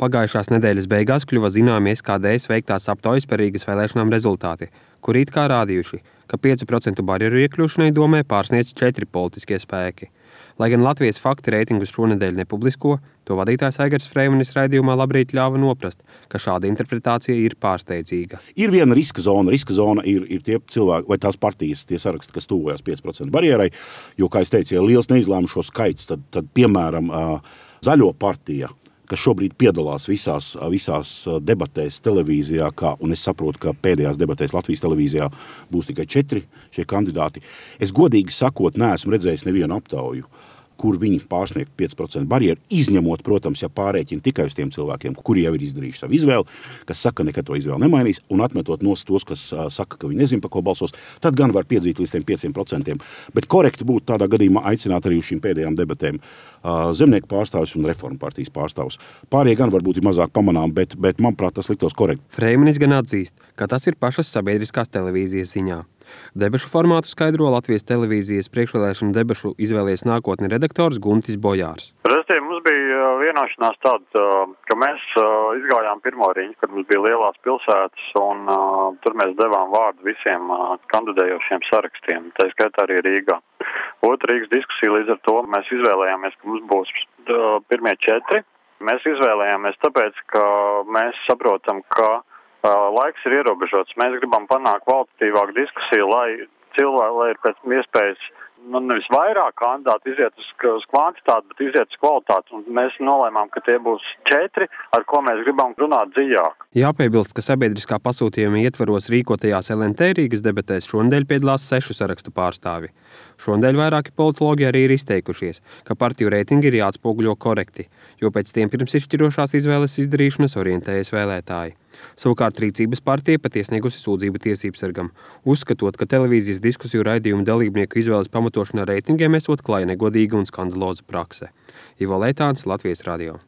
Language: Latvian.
Pagājušās nedēļas beigās kļuva zināmi SKDS veiktās aptaujas par Rīgas vēlēšanām rezultāti, kur it kā rādījuši, ka 5% barjeru iekļūšanai domē pārsniedz 4 politiskie spēki. Lai gan Latvijas fakti reitingus šonedēļ nepublisko, to vadītājs Aigars Freimanis raidījumā Labrīt ļāva noprast, ka šāda interpretācija ir pārsteidzīga. Ir viena riska zona. Riska zona ir tie cilvēki vai tās partijas, tie saraksti, kas tuvojas 5% barjerai, jo, kā es teicu, ja liels neizlēmušo skaits, tad piemēram, Zaļo partija, kas šobrīd piedalās visās debatēs televīzijā, un es saprotu, ka pēdējās debatēs Latvijas televīzijā būs tikai 4 šie kandidāti. Es godīgi sakot, neesmu redzējis nevienu aptauju, kur viņi pārsniegt 5% barjeru, izņemot, protams, ja pārēķina tikai uz tiem cilvēkiem, kuri jau ir izdarījuši savu izvēli, kas saka, nekad to izvēli nemainīs, un atmetot nost tos, kas saka, ka viņi nezin, par ko balsos, tad gan var piedzīt līdz tiem 5%. Bet korekti būtu tādā gadījumā aicināt arī uz šīm pēdējām debatēm zemnieku pārstāvjus un reformu partijas pārstāvjus. Pārējie gan varbūt ir mazāk pamanām, bet manuprāt, tas liktos korekti. Freimanis gan atzīst, ka tas ir pašas sabiedriskās televīzijas ziņā. Debašu formātu skaidro Latvijas televīzijas priekšvēlēšanu debašu izvēlies nākotni redaktors Guntis Bojārs. Respektīvi, mums bija vienošanās tāda, ka mēs izgājām pirmo riņu, kad mums bija lielās pilsētas, un tur mēs devām vārdu visiem kandidējošiem sarakstiem, tā skaitā arī Rīgā. Otra Rīgas diskusija līdz ar to mēs izvēlējāmies, ka mums būs pirmie 4. Mēs izvēlējāmies tāpēc, ka mēs saprotam, ka laiks ir ierobežots. Mēs gribam panākt kvalitatīvāku diskusiju, lai ir pēc iespējas nevis vairāk kandidāti iziet uz kvantitāti, bet iziet uz kvalitāti. Un mēs nolēmām, ka tie būs 4, ar ko mēs gribam runāt dziļāk. Jāpiebilst, ka sabiedriskā pasūtījuma ietvaros rīkotajās LNT Rīgas debatēs šonedēļ piedalās 6 sarakstu pārstāvi. Šonedēļ vairāki politologi arī ir izteikušies, ka partiju reitingi ir jāatspoguļo korekti, jo pēc tiem pirms izšķirošās izvēles izdarīšanas orientējas vēlētāji. Savukārt Rīcības partija pat iesniegusi sūdzību tiesībsargam, uzskatot, ka televīzijas diskusiju raidījumu dalībnieku izvēles pamatošana reitingiem esot klāja negodīga un skandaloza prakse. Ivo Leitāns, Latvijas radio.